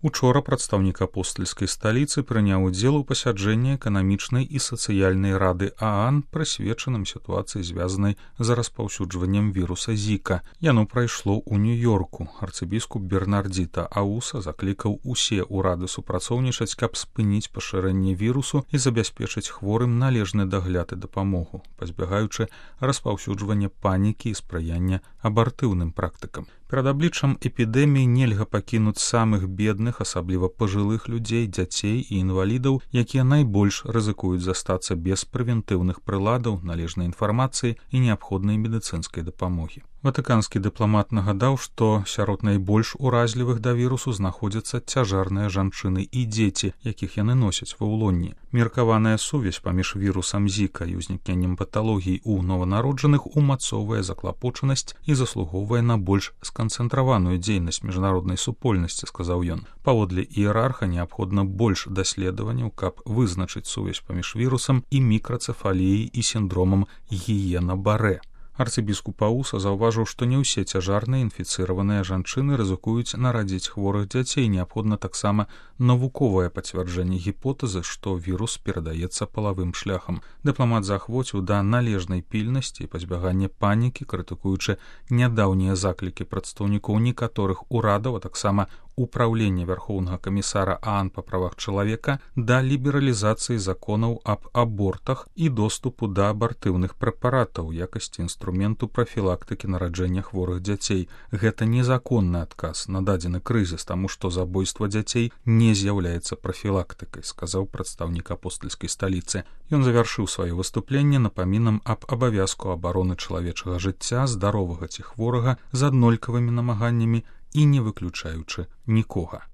Учора прадстаўнік апостальскай сталіцы прыняў удзел у пасяджэнні эканамічнай і сацыяльнай рады ААН, прысвечаным сітуацыі, звязанай з распаўсюджваннем віруса Зіка. Яно прайшло ў Нью-Йорку. Арцыбіскуп Бернардзіта Ауса заклікаў усе ўрады супрацоўнічаць, каб спыніць пашырэнне вірусу і забяспечыць хворым належны дагляд і дапамогу, пазбягаючы распаўсюджвання панікі і спрыяння абартыўным практыкам. Перад абліччам эпідэміі нельга пакінуць самых бедных, асабліва пажылых людзей, дзяцей і інвалідаў, якія найбольш рызыкуюць застацца без прэвентыўных прыладаў, належнай інфармацыі і неабходнай медыцынскай дапамогі. Ватыканскі дыпламат нагадаў, што сярод найбольш уразлівых да вірусу знаходзяцца цяжарныя жанчыны і дзеці, якіх яны носяць ва ўлонні. Меркаваная сувязь паміж вірусам Зіка і ўзнікненнем паталогій у нованароджаных умацоўвае заклапочанасць і заслугоўвае на больш сканцэнтраваную дзейнасць міжнароднай супольнасці, сказаў ён. Паводле іерарха неабходна больш даследаванняў, каб вызначыць сувязь паміж вірусам і мікрацэфаліяй і сіндромам Гіена-Барэ. Арцыбіскуп Ауса заўважыў, што не ўсе цяжарныя інфіцыраваныя жанчыны рызыкуюць нарадзіць хворых дзяцей. Неабходна таксама навуковае пацвярджэнне гіпотэзы, што вірус перадаецца палавым шляхам. Дыпламат заахвоціў да належнай пільнасці і пазбягання панікі, крытыкуючы нядаўнія заклікі прадстаўнікоў некаторых урадаў, а таксама Управлення Вярхоўнага камісара ААН па правах чалавека да лібералізацыі законаў аб абортах і доступу да абартыўных прэпаратаў у якасці інструменту прафілактыкі нараджэння хворых дзяцей. Гэта незаконны адказ на дадзены крызіс, таму што забойства дзяцей не з'яўляецца прафілактыкай, сказаў прадстаўнік апостальскай сталіцы. Ён завяршыў сваё выступленне напамінам аб абавязку абароны чалавечага жыцця, здаровага ці хворага, з аднолькавымі намаганнямі і не выключаючы нікога.